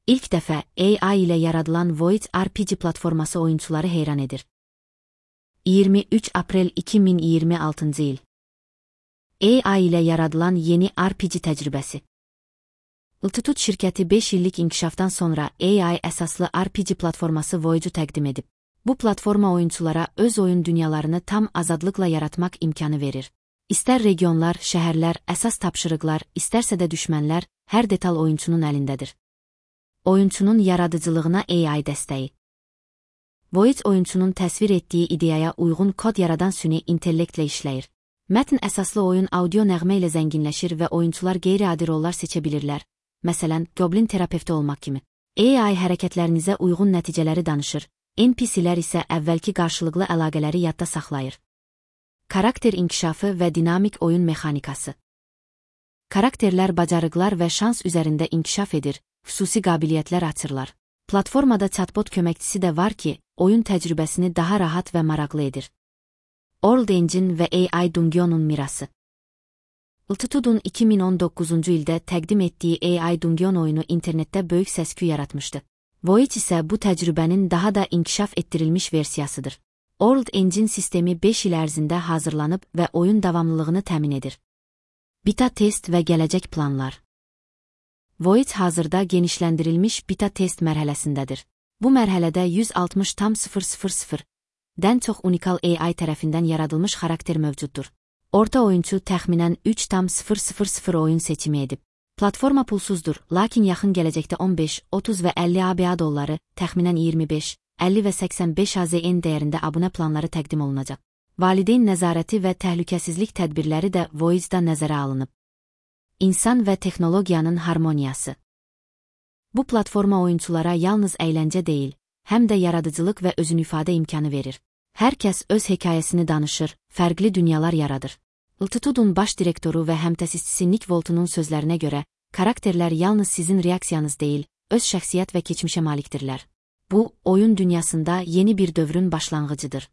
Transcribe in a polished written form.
İlk dəfə AI ilə yaradılan Void RPG platforması oyunçuları heyran edir. 23 aprel 2026 il. AI ilə yaradılan yeni RPG təcrübəsi. Altitude şirkəti 5 illik inkişafdan sonra AI əsaslı RPG platforması Void'u təqdim edib. Bu platforma oyunçulara öz oyun dünyalarını tam azadlıqla yaratmaq imkanı verir. İstər regionlar, şəhərlər, əsas tapşırıqlar, istərsə də düşmənlər, hər detal oyunçunun əlindədir. Oyunçunun yaradıcılığına AI dəstəyi. Void oyunçunun təsvir etdiyi ideyaya uyğun kod yaradan süni intellektlə işləyir. Mətn əsaslı oyun audio nəğmə ilə zənginləşir və oyunçular qeyri-adi rollar seçə bilirlər. Məsələn, goblin terapevti olmaq kimi. AI hərəkətlərinizə uyğun nəticələri danışır, NPC-lər isə əvvəlki qarşılıqlı əlaqələri yadda saxlayır. Karakter inkişafı və dinamik oyun mexanikası. Karakterlər bacarıqlar və şans üzərində inkişaf edir, xüsusi qabiliyyətlər açırlar. Platformada chatbot köməkçisi də var ki, oyun təcrübəsini daha rahat və maraqlı edir. World Engine və AI Dungeon'un mirası. Altitude'un 2019-cu ildə təqdim etdiyi AI Dungeon oyunu internetdə böyük səs-küy yaratmışdı. Void isə bu təcrübənin daha da inkişaf etdirilmiş versiyasıdır. World Engine sistemi 5 il ərzində hazırlanıb və oyun davamlılığını təmin edir. Beta test və gələcək planlar. Void hazırda genişləndirilmiş beta test mərhələsindədir. Bu mərhələdə 160,000-dən çox unikal AI tərəfindən yaradılmış xarakter mövcuddur. Orta oyunçu təxminən 3,000 oyun seçimi edib. Platforma pulsuzdur, lakin yaxın gələcəkdə 15, 30 və 50 ABA dolları, təxminən 25, 50 və 85 AZN dəyərində abunə planları təqdim olunacaq. Valideyn nəzarəti və təhlükəsizlik tədbirləri də Void'da nəzərə alınıb. İnsan və texnologiyanın harmoniyası. Bu platforma oyunçulara yalnız əyləncə deyil, həm də yaradıcılıq və özünüifadə imkanı verir. Hər kəs öz hekayəsini danışır, fərqli dünyalar yaradır. Altitude'un baş direktoru və həmtəsisçisi Nick Voltun'un sözlərinə görə, karakterlər yalnız sizin reaksiyanız deyil, öz şəxsiyyət və keçmişə malikdirlər. Bu, oyun dünyasında yeni bir dövrün başlanğıcıdır.